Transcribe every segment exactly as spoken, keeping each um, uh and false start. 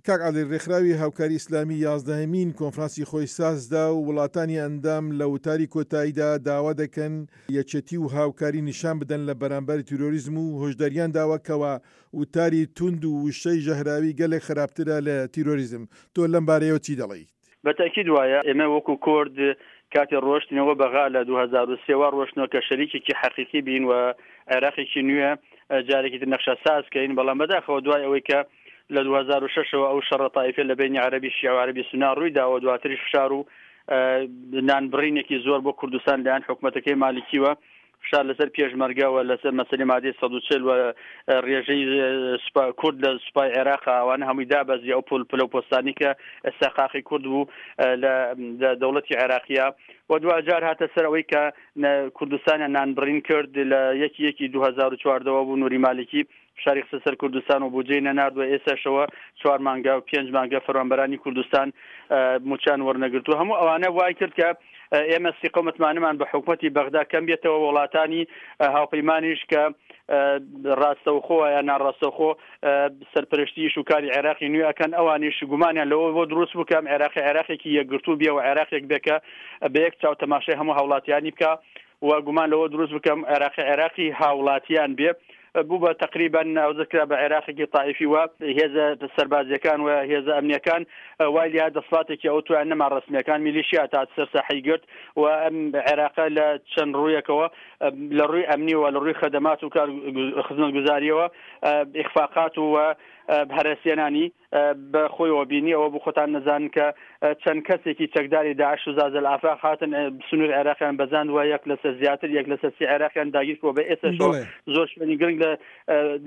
کاک عادل، ڕێکخراوی هاوکاری ئیسلامی یازدەهەمین کۆنفرانسی خۆی سازدا و وڵاتانی ئەندام لە وتاری کۆتاییدا داوا دەکەن یەکێتی و هاوکاری نیشان بدەن لە بەرامبەر تیرۆریزم و هۆشداریان داوە کەوا وتاری توند و وشەی ژەهراوی گەلێک خراپترە لە تیرۆریزم. تۆ لەم بارەیەوە چی دەڵێیت؟ بە تەئکید وایە. ئێمە وەکو کورد کاتێ ڕۆشتینەوە بەغا لە دوو هەزار و سێ وا ڕۆشتنەوە کە شەریکێکی حەقیقی بین و عێراقێکی نوێ جارێکی تر نەخشە ساز کەین، بەڵام بەداخەوە دوای ئەوەی کە لە دوو هەزار و شەش ەوە ئەو شەڕە تایفە لە بەینی عەرەبی شیعە و عەرەبی سوننا ڕووی داوە، دواتریش فشار و نانبڕینێکی زۆر بۆ کوردستان لایەن حکومەتەکەی مالکیوە، فشار لەسەر پێشمەرگە و لەسەر مەسەلەی مادەی سەد و چل و ڕێژەی سوپا کورد لە سوپای عێراق ئەوانە هەمووی دابەزی ئەو پل پلە و پۆستانی کە ئێستا قاقی کورد بوو لە دەوڵەتی عێراقیە و دواجار هاتە سەر ئەوەی کە کوردستانیان نانبڕین کرد لە یەکی یەکی دوو هەزار و چواردەوە بوو نوری مالکی فشاری خستە سەر کوردستان و بودجەی نەنارد و ئێستاشەوە چوار مانگە و پێنج مانگە فەرمانبەرانی کوردستان موچان وەرنەگرتو. هەموو ئەوانە وای کرد کە ئێمە سیقە و متمانەمان بە حکومەتی بەغدا کەم بێتەوە، وڵاتانی هاوپەیمانیش کە ڕاستەوخۆ یا ناڕاستەوخۆ سەرپەرشتی شوکاری عێراقی نوێ ئەکەن، ئەوانیش گومانیان لەوە بۆ دروست بوو کە ئەم عێراقی عێراقێکی یەکگرتوو بێ و عێراقێک بێ کە بە یەک چاو تەماشای هەموو هاوڵاتیانی بکە و گومان لەوە دروست بکەم عێراقی عێراقی هاوڵاتیان بێ. بوو بە تقریبا ناوزەد کرا بە عێراقێکی تایفی و هێزە سەربازیەکان و هێزە ئەمنیەکان وای لیا دەسڵاتێکی ئەو تویان نەما، ڕەسمیەکان میلیشیا تا سەر ساحەی گرت و ئەم عێراقە لە چەند ڕوویەکەوە لە ڕووی ئەمنیەوە لە ڕووی خەدەمات و کار خزمەتگوزاریەوە ئیخفاقات و هەرەسێنانی بە خۆیەوە بینی. ئەوە بۆ خۆتان نەزانن کە چەند کەسێکی چەکداری داعش و زازل ئافاق هاتن سنوور عێراقیان بەزاند و یەک لەسەر زیاتر یەک لەسەر سی عێراقیان داگیر کردووە. بە ئێستاشەوە زۆر شوێنی گرنگ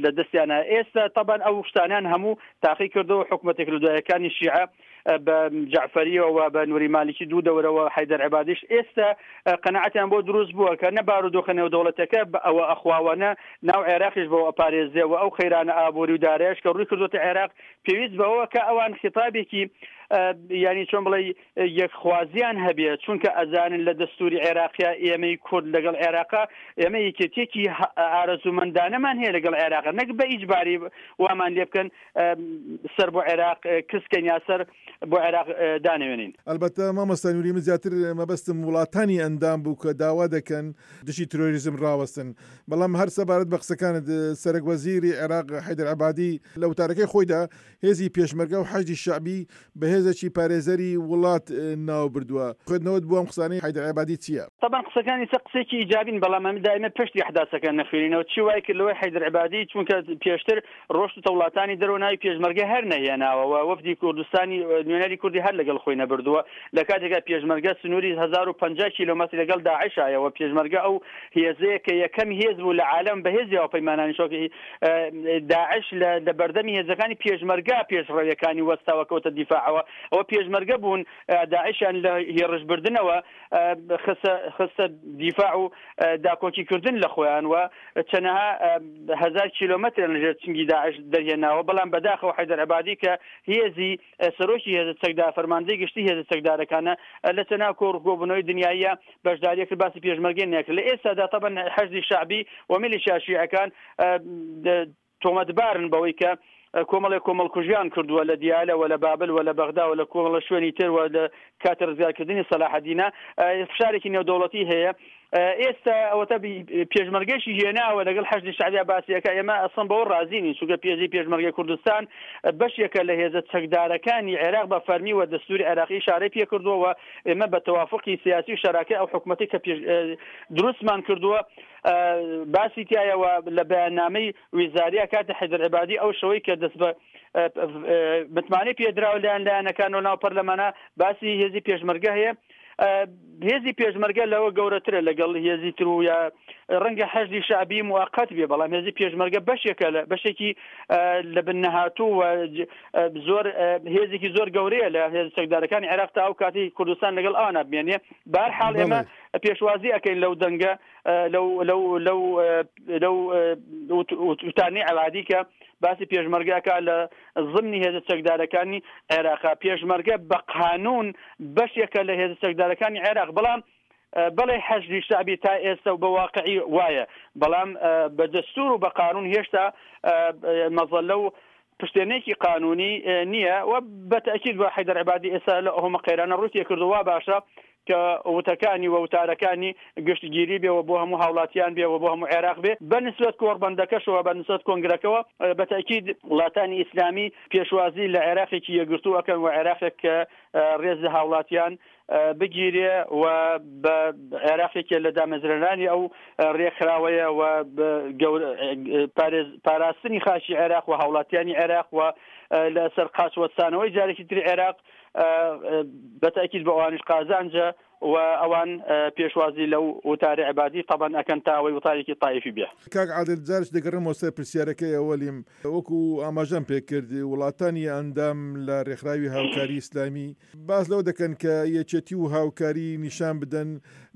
لە دەستیانە. ئێستا تەبان ئەو شتانیان هەموو تاقی کردەوە حکوومەتێک لە دوایەکانی شیعە بە جەعفەریەوە بە نوری مالکی دوو دەورەوە حەیدەر عەبادیش ئێستا قەناعەتیان بۆ دروست بووە کە نە بارودۆخە نێودەوڵەتەکە بە ئەوە ئەخواوەنە ناو عێراقیش بەوە ئەپارێزێ و ئەو خەیرانە ئابووری و دارایش کە ڕووی کردوتە عێراق پێویست بەوە کە ئەوان خیتابێکی یعنی چۆن بڵێ یەکخوازیان هەبێت، چونکە ئەزانن لە دەستوری عێراقیا ئێمەی کورد لەگەڵ عێراقا ئێمە یەکێتیەکی ئارەزومەندانەمان هەیە لەگەڵ عێراق، نەک بە ئیجباری وامان لێ بکەن سەر بۆ عێراق کسکەن یا سەر بۆ عێراق دانەوێنین. ئەلبەتە مامۆستا نوری، من زیاتر مەبەستم وڵاتانی ئەندام بوو کە داوا دەکەن دژی ترۆریزم ڕاوەستن، بەڵام هەر سەبارەت بە قسەکانت سەرەک وەزیری عێراق حەیدەر عەبادی لە وتارەکەی خۆیدا هێزی پێشمەرگە و حەشدی شەعبی بە هێزێکی پارێزەری وڵات ناو بردووە. خوێندنەوەت بۆ ئەم قسانەی حەیدەر عەبادی چییە؟ طبعا قسەکانی سە قسێکی ئیجابین، بەڵام ئەمە دائما پشتی ئەحداسەکە نەخوێنینەوە. چی وای کرد لەوەی حەیدەر عەبادی؟ چونکە پێشتر ڕۆشت و وڵاتانی دەرەوە ناوی پێشمەرگە هەر نەهێناوە و وەفدی کوردستانی نوێنەری کوردی هەر لەگەڵ خۆی نەبردووە، لە کاتێکا پێشمەرگە سنووری هەزار و پەنجا کیلۆمەتر لەگەڵ داعشایەوە. پێشمەرگە ئەو هێزەیە کە یەکەم هێز بوو لە عالەم بەهێزی هاوپەیمانانی شۆکی داعش لە بەردەمی هێزەکانی پێشمەرگە پێشڕەویەکانی وەستاوە کەوتە دیفاعەوە. ئەوە پێشمەرگە بوون داعشیان لە هێڕشبردنەوە خستە دیفاع و داکۆکیکردن لە خۆیان و چەنەها هەزار کیلۆمەتر لەژێر چنگی داعش دەرهێناوە. بەڵام بەداخەوە حەیدەر عەبادی کە هێزی سەرۆکی هێزە چەکدار فەرماندەی گشتی هێزە چەکدارەکانە لە چەناو کۆڕ کۆبوونەوەی دنیاییە بەشداریە کرد، باسی پێشمەرگە نەکرد. لە ئێستادا تەبەن حەشدی شەعبی و میلیشیا شیعەکان تۆمەتبارن بەوەی کە کۆمەڵێک کۆمەڵکوژیان کردووە لە دیالە و لە بابل و لە بەغدا و لە کۆمەڵە شوێنی تر و لە کاتی ڕزگارکردنی سەلاحەدینە فشارێکی نێودەوڵەتی هەیە. ئێستا ئەوەتە پێشمەرگەشی هێناوە لەگەڵ حەشدی شەعبیا باسیەکە. ئێمە ئەسڵەن بەوە ڕازی نین، چونکە پێزی پێشمەرگەی کوردستان بەشێکە لە هێزە چەکدارەکانی عێراق بە فەرمی و دەستوری عێراقی ئشارەی پێکردووە و ئێمە بە تەوافقی سیاسی و شەراکە ئەو حکوومەتی کە دروستمان کردووە باسی تایەوە لە بەیاننامەی ویزاریا کاتی حەیدەر عەبادی ئەو شەوەی کە دەست بە متمانەی پێدراوە لایەن لایەنەکان و ناو پەرلەمانە باسی هێزی پێشمەرگە هەیە. هێزی پێشمەرگە لەوە گەورەترە لەگەڵ هێزی تر و یا ڕەنگە حەشدی شەعبی موقت بێ، بەڵام هێزی پێشمەرگە بەشێکە لە بەشێکی لە بن نەهاتوو و زۆر هێزێکی زۆر گەورەیە لە هێزە چەکدارەکانی عێراق تا ئەو کاتی کوردستان لەگەڵ ئەوانە بمێنێ. بەهەر حاڵ ئێمە پێشوازی ئەەکەین لەو دەنگە لەو لەو لەو لەو وتانەی عەبادی کە باسی پێشمەرگەکە لە زمنی هێزە چەکدارەکانی عێراقا. پێشمەرگە بە قانون بەشێکە لە هێزە چەکدارەکانی عێراق، بەڵام بەڵێ حەشدی شەعبی تا ئێستا و بە واقعی وایە، بەڵام بە دەستور و بە قانون هێشتا مەزەلە و پشتێنێکی قانونی نییە و بەتەئکید بە حەیدەر عەبادی ئێستا لە ئەومە قەیرانە ڕووی کردووە باشە کە وتەکانی و وتارەکانی گشتگیری بێ و بۆ هەموو هاوڵاتیان بێ و بۆ هەموو عێراق بێ. بە نسبەت کۆڕبەندەکەشەوە، بە نسبەت کۆنگرەکەوە، بەتەئکید وڵاتانی ئیسلامی پێشوازی لە عێراقێکی یەکگرتوو ئەکەن و عێراقێک کە ڕێز لە هاوڵاتیان بگیرێ و بە عێراقێکێ لە دامەزرێنانی ئەو ڕێکخراوەیە و پاراستنی خاکی عێراق و هاوڵاتیانی عێراق و لەسەر قاچ وەستانەوەی جارێکی تری عێراق بەتەئکید بە ئەوانیش قازانجە و ئەوان پێشوازی لەو وتاری عەبادی تەبەن ئەکەن تا ئەوەی وتارێکی تایفی بێ. کاک عادل، جارش دەگەڕێمەوە سەر پرسیارەکەی ئەوەلیم. وەکو ئاماژەم پێکرد وڵاتانی ئەندام لە ڕێکخراوی هاوکاری ئیسلامی باس لەوە دەکەن کە یەکێتی و هاوکاری نیشان بدەن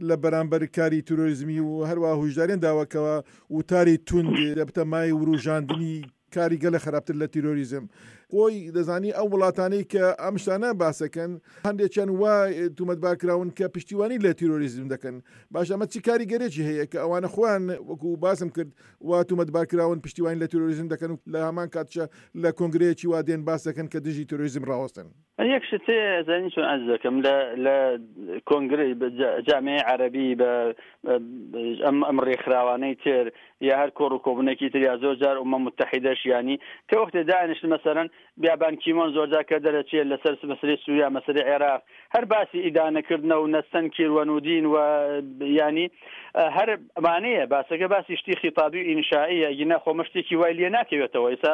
لە بەرامبەر کاری تیرۆریزمی و هەروە هۆشداریان داوەکەوە وتاری توند دەبتە مای وروژاندنی کاری گەلە خراپتر لە تیرۆریزم. خۆی دەزانی ئەو وڵاتانەی کە ئەم شتانە باسەکەن هەندێکیان وا تومەتبار کراون کە پشتیوانی لە تیرۆریزم دەکەن. باش ئەمە چی کاریگەرێکی هەیە کە ئەوانە خۆیان وەکو باسم کرد وا تومەتبار کراون پشتیوانی لە تیرۆریزم دەکەن و لە هەمان کاتشە لە کۆنگرەیەکی وا دێن باس دەکەن کە دژی تیرۆریزم ڕاوەستن؟ یەک شت زانی چۆن عەرز دەکەم لە لە کۆنگرەی جامعەی عەرەبی بە ئەم ئەم ڕێکخراوانەی تر یا هەر کۆڕ و کۆبوونێکی تر یا زۆر جار ئومە متحیدەش، یانی کە وەختێ دانیشت مەسەلەن بیابان کیمۆن زۆر جار کە دەرەچێت لەسەر مەسەلەی سووریا، مەسەلەی عێراق، هەر باسی ئیدانەکردنە و نەستەنکیر و نودین و ینی هەر ئەمانەیە باسەکە، باسی شتی خیتابی و ئینشائیە، ئەگینا خۆمە شتێکی وای لێ ناکەوێتەوە. ئێستا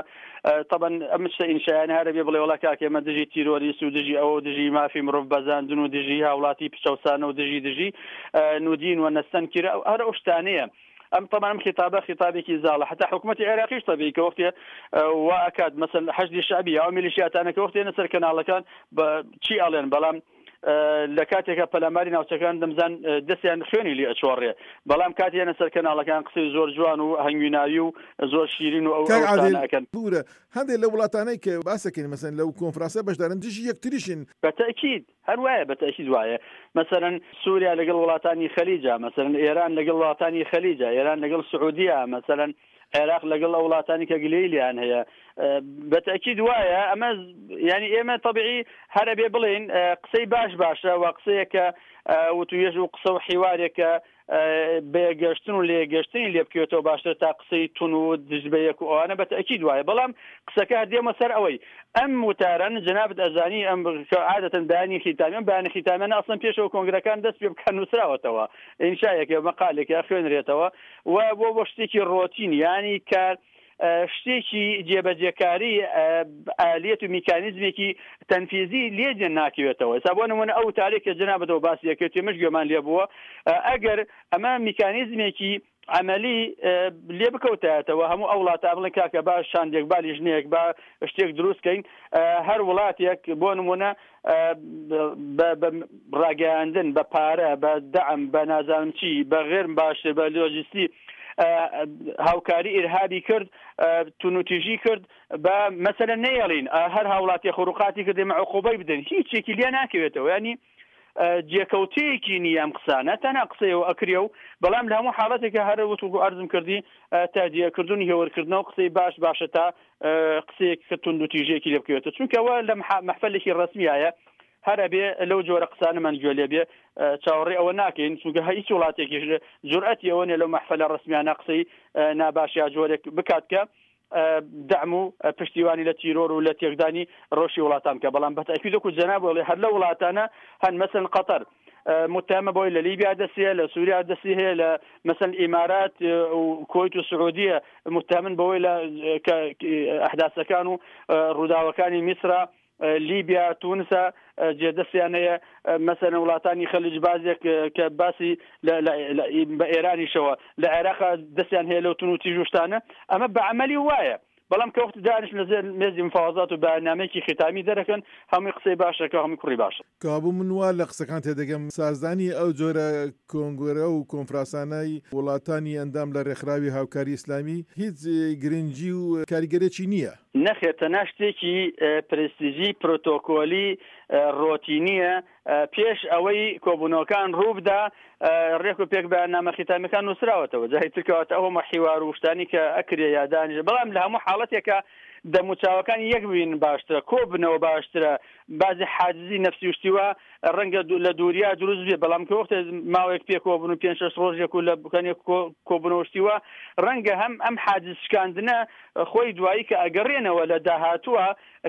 طبعا ئەم شتە ئینشایانە هەرە بێ بڵێ وڵا کاکە ئێمە دژی تیرۆریست و دژی ئەوە و دژی مافی مرۆڤ بەزاندن و دژی هاوڵاتی پچەوسانە و دژی دژی نودین و نەستەنکیر، هەر ئەو شتانەیە. ئەم طبعا ئەم خطابە خطابێکی زاڵە، حتا حکوومەتی عێراقیش طبیعی کە وەختێ وا ئەکات مەسەل حەشدی شەعبی یا ئەو میلیشیاتانە کە وەختێ سەر کەناڵەکان بە چی ئەڵێن، بەڵام لە کاتێکە پەلاماری ناوچەکان دەمزان دەستیان خوێنی لێ ئەچۆڕێ، بەڵام کاتیانە سەر کەناڵەکان قسەی زۆر جوان و هەنگویناوی و زۆر شیرین و ئەو شتانە ئەکەن. بورە هەندێک لە وڵاتانەی کە باسەکەین مەسەن لەو کۆنفرانسە بەشدارن دژی یەکتریشن. بەتەئکید هەر وایە، بەتەئکید وایە. مەسەلەن سووریا لەگەڵ وڵاتانی خەلیجا، مەسەلەن ئێران لەگەڵ وڵاتانی خەلیجا، ئێران لەگەڵ سعودیە، مەسەلەن عێراق لەگەڵ ئەو وڵاتانی کە گلەیی لێیان هەیە. بەتەئکید وایە. ئەمە یعنی ئێمە طبیعی هەرە بێ بڵێین قسەی باش باشە و قسەیەکە وتوێژ و قسە و حیوارێکە بەیەگەشتن و لێگەشتنی لێ بکەوێتەوە باشتر تا قسەی تون و دژ بە یەک و ئەوانە، بەتەئکید وایە. بەڵام قسەکە دێمە سەر ئەوەی ئەم وتاران جەنابت ئەزانی ئەم عادەتەن بەیانی خیتامی، ئەم بەیانی خیتامیانە ئەسڵەن پێشەوە کۆنگرەکان دەست پێ بکەن نووسراوەتەوە، ئینشایەکە مەقالێکە خوێنرێتەوە و بۆ بۆ شتێکی ڕۆتین، یانی کار شتێکی جێبەجێکاری ئالیەت و میکانیزمێکی تەنفیزی لێ جێ ناکەوێتەوە. ئێستا بۆ نمونە ئەو تارێک کە جەنابەتەوە باسی یەکێت مش گوێمان لێ بووە، ئەگەر ئەمە میکانیزمێکی عملی لێ بکەوتایەتەوە هەموو ئەو وڵاتە بڵێن کاکە با شاندێک با لیژنەیەک با شتێک دروست کەین، هەر وڵاتێک بۆ نمونە بە ڕاگەیاندن بە پارە بە دەعم بە نازانم چی بە غێر باشتر بە لۆجستی هاوکاری ئیرهابی کرد، تونوتیژی کرد، بە مەسەلەن نەیەڵین هەر هاوڵاتی خروقاتی کرد ئێمە عقوبەی بدەن، هیچێکی لێ ناکەوێتەوە. ینی جێکەوتەیەکی نییە ئەم قسانە، تەنها قسەیەوە ئەکرێ و بەڵام لە هەموو حاڵەتێکە هەر وتوکو ئەرزم کردی تادیەکردن هێوەرکردنەوە قسەی باش باشە تا قسەیەک کە توندوتیژێکی لێ بکەوێتەوە، چونکەوە لە مەحفەلێکی ڕەسمیایە هەر ئەبێ لەو جۆرە قسانەمان گوێ لێ بێ، چاوەڕێ ئەوە ناکەین، چونکە هیچ وڵاتێکیش جورئەتی ئەوە نییە لەو مەحفەلە ڕەسمیانە قسەی ناباش یا جۆرێک بکات کە دەعم و پشتیوانی لە تیرۆر و لە تێکدانی ڕۆشی وڵاتان بکە. بەڵام بەتەئکید وەکو جەناب بڵێ هەر لەو وڵاتانە هەن، مەسەلەن قەتەر متهمە بۆی لە لیبیا دەسیە، لە سووریا دەستی هەیە، لە مەسەلەن ئیمارات و کوەیت و سعودیە متهمن بەوەی لە ئەحداسەکان و ڕووداوەکانی میسرا، لیبیا، تونسە جێدەستیان هەیە. مەسەلەن وڵاتانی خەلیج بازێک کە باسی بە ئێرانیشەوە لە عێراق دەستیان هەیە لەو تون و تیژ و شتانە، ئەمە بە عەمەلی وایە. بەڵام کە وەخت دانیشت لەسەر مێزی مفاوەزات و بەیاننامەیەکی ختامی دەرەکەن، هەمووی قسەی باشەکە، هەمووی کوڕی باشە. کابوو من وا لە قسەکان تێدەگەم سازدانی ئەو جۆرە کۆنگرە و کۆنفرانسانەی وڵاتانی ئەندام لە ڕێکخراوی هاوکاری ئیسلامی هیچ گرنگی و کاریگەرێکی نییە. نەخێر، تەنها شتێکی پرستیژی پرۆتۆکۆلی ڕۆتینیە. پێش ئەوەی کۆبوونەوەکان ڕووبدا ڕێک و پێک بەیاننامە ختامیەکان نووسراوەتەوە، جای ترکەواتە ئەو هەموو حیوار و شتانی کە ئەکرێ یا دانیشە. بەڵام لە هەموو حاڵەتێکە دەموچاوەکان یەک ببین باشترە، کۆبنەوە باشترە. بازی حاجزی نەفسی وشتیوە ڕەنگە لە دووریا دروست بێ، بەڵام کە وەختێ ماوەیەک پێکەوە بن و پێنج شەش ڕۆژێک و لە بکەنێک کۆبنەوە شتیوە، ڕەنگە هەم ئەم حاجز شکاندنە خۆی دوایی کە ئەگەڕێنەوە لە داهاتووە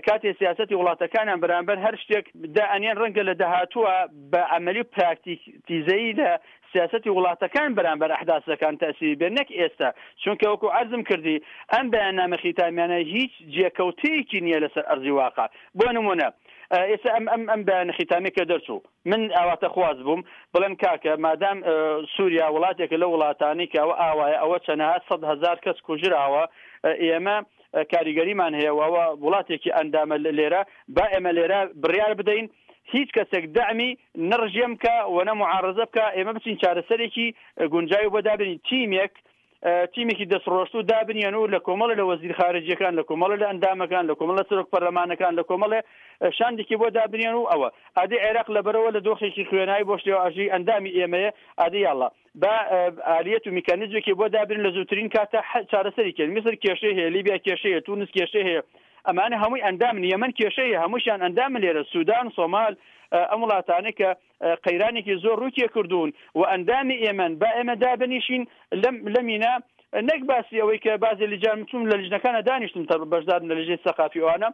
کاتێ سیاسەتی وڵاتەکانیان بەرامبەر هەر شتێک دائەنێن، ڕەنگە لە داهاتووە بە عەمەلی و پراکتیزەیی لە سیاسەتی وڵاتەکان بەرامبەر ئەحداسەکان تەسیری بێ، نەک ئێستا. چونکە وەکو عەرزم کردی ئەم بەیاننامە خیتامیانە هیچ جێکەوتەیەکی نییە لەسەر ئەرزی واقع. بۆ نمونە ئێستا ئەم ئەم ئەم بەیانە خیتامی کە دەرچوو، من ئاواتەخواز بووم بڵێم کاکە مادام سووریا وڵاتێکە لە وڵاتانی کە ئەوە ئاوایە، ئەوە چەنەها سەد هەزار کەس کوژراوە، ئێمە کاریگەریمان هەیە و ئەوە وڵاتێکی ئەندامە لێرە، با ئێمە لێرە بڕیار بدەین هیچ کەسێک دەعمی نەڕژێم بکە و نە معارەزە بکە، ئێمە بچین چارەسەرێکی گونجاوی بۆ دابنین، تیمێک تیمێکی دەستڕۆشت و دابنیان و لە کۆمەڵە لە وەزیر خارجیەکان، لە کۆمەڵە لە ئەندامەکان، لە کۆمەڵە سەرۆک پەرلەمانەکان، لە کۆمەڵە شاندێکی بۆ دابنیان و ئەوە ئادی عێراق لەبەرەوە لە دۆخێکی خوێنایی بۆ شتێوە ئەژی ئەندامی ئێمەیە، ئادی یاڵا با ئالیەت و میکانیزمێکی بۆ دابنین لە زووترین کاتە چارەسەری کەین. میسر کێشەی هەیە، لیبیا کێشەی هەیە، تونس کێشەی هەیە، ئەمانە هەمووی ئەندامن، یەمەن کێشەی هەیە، هەمووشیان ئەندامن لێرە، سودان، سۆمال، ئەم وڵاتانەی کە قەیرانێکی زۆر ڕووی کردوون و ئەندامی ئێمەن، با ئێمە دابنیشین لەم لەمینا، نەک باسی ئەوەی کە بازی لجان چوون لە لیژنەکانە دانیشتن تا بەشدارن لە لیژنەی سەقافی ئەوانە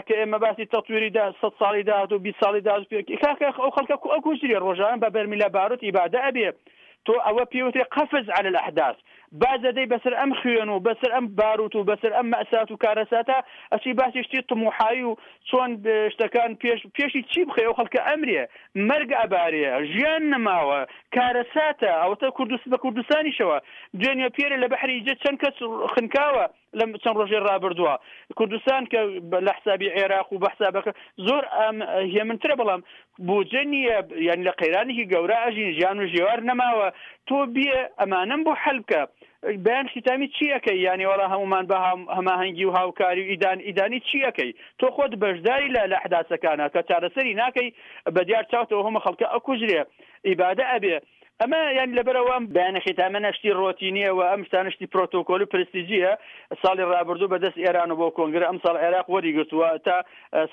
کە ئێمە باسی تەطویری دا سەد ساڵی داهات و بیست ساڵی داهات کاکە ئەو خەڵکە ئەو کوژری ڕۆژانە بە بەرمیلە باروت ئیبادە ئەبێ. تۆ ئەوە پێوترێ قەفز عەلە الأحداث، بازەدەی بەسەر ئەم خوێن و بەسەر ئەم باروت و بەسەر ئەم مەسات و کارەساتە ئەچی باسی شتی طموحایی و چۆن شتەکان پێش پێشی چی بخەی؟ ئەو خەڵکە ئەمرێ، مەرگ ئەبارێ، ژیان نەماوە، کارەساتە. ئەوەتە کوردست بە کوردستانیشەوە دوێنێ پێرە لە بەحری ئیجە چەند کەس خنکاوە لەم چەند ڕۆژێ ڕابردووە. کوردستان کە لە حسابی عێراق و بە حسابەکە زۆر هێمنترە، بەڵام بودجە نییە، یعنی لە قەیرانێکی گەورە ئەژین، ژیان و ژێوار نەماوە. تۆ بێ ئەمانەم بۆ حەل بکە. بەیان ختامی چی ئەەکەی؟ یعنی وەڵا هەمومان بە هەماهەنگی و هاوکاری و ئیدان ئیدانی چی ئەەکەی؟ تۆ خۆت بەشداری لە لە ئەحداسەکانە کە چارەسەری ناکەی، بە دیار چاوتەوە هەمە خەڵکە ئەکوژرێ، ئیبادە ئەبێ. ئەمە یان لەبەرەوە بەیانە ختامە نەشتی ڕۆتینیە و ئەم شتانە شتی پرۆتۆکۆل و پرستیجیە. ساڵی ڕابردوو بەدەست ئێران و بۆ کۆنگرە، ئەم ساڵ عێراق وەری گرتووە تا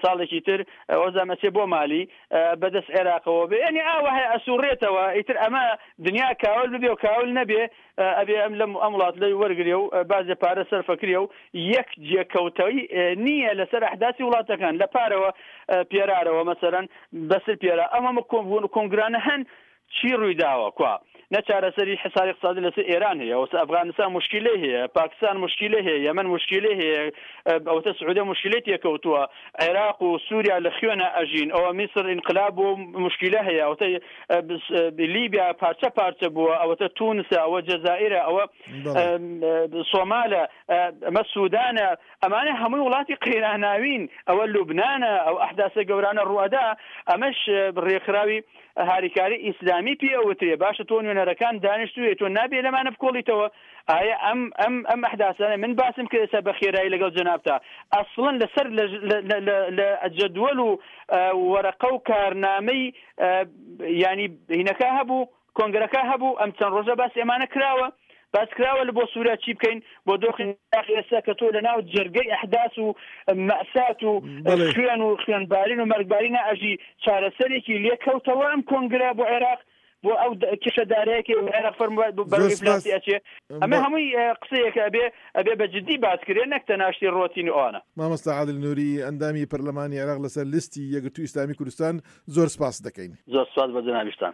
ساڵێکی تر وەزامەچێ بۆ مالی بەدەست عێراقەوە بێ، یعنی ئاوە هەیە ئەسوڕێتەوە. ئیتر ئەمە دنیا کاول ببێ و کاول نەبێ، ئەبێ ئەم لەم ئەم وڵات لەوی وەرگێ و بازێ پارە سەرفەکرێ و یەک جێکەوتەوەی نییە لەسەر ئەحداسی وڵاتەکان لە پارەوە پێرارەوە مەسەرەن بەسەر پێرا ئەم هەموو کۆنگرانە هەن چی ڕووی داوە؟ کوا نە چارەسەری حساری اقتصادی لەسەر ئێران هەیە، ئەوسە ئەفغانستان مشکلەی هەیە، پاکستان مشکلەی هەیە، یەمەن مشکلەی هەیە، ئەوتە سعودیە مشکلەی تێکەوتووە، عێراق و سووریا لە خوێنە ئەژین، ئەوە میسر ئینقلاب و مشکلە هەیە، ئەوتە لیبیا پارچە پارچە بووە، ئەوەتە تونسە، ئەوە جەزائیرە، ئەوە سۆمالە، ئەمە سودانە، ئەمانە هەمووی وڵاتی قەیراناوین، ئەوە لوبنانە، ئەو ئەحداسە گەورانە ڕوئەدا. ئەمەش ڕێکخراوی هاریکاری ئیسلامی پێ ئەوترێ. باشە تۆ نوێنەرەکان دانیشتوویە، تۆ نابێ لەمانە بکۆڵیتەوە. ئایا ئەم ئەم ئەم ئەحداسانە من باسم کرد ئێستا بە خێرایی لەگەڵ جەنابتا ئەسڵەن لەسەر لە جەدوەل و وەرەقە و کارنامەی ینی هینەکە هەبوو، کۆنگرەکە هەبوو، ئەم چەند ڕۆژە باس ئێمانە کراوە، باس کراوە لە بۆ سووریا چی بکەین، بۆ دۆخی ئێستا کە تۆ لە ناو جەرگەی ئەحداس و مەسات و خوێن و خوێنبارین و مەرگبارینە ئەژی، چارەسەرێکی لێکەوتەوە ئەم کۆنگرە بۆ عێراق بۆ ئەو کێشەدارەیەکی عێراق فەرمووە بەرەو ئیفلاسی ئەچێ. ئەمە هەمووی قسەیەکە ئەبێ ئەبێ بە جدی باس کرێ، نەک تەناشتی ڕۆتین و ئەوانە. مامۆستا عادل نوری ئەندامی پەرلەمانی عێراق لەسەر لیستی یەکگرتوو ئیسلامی کوردستان، زۆر سپاس دەکەین. زۆر سپاس بە جەنابیشتان.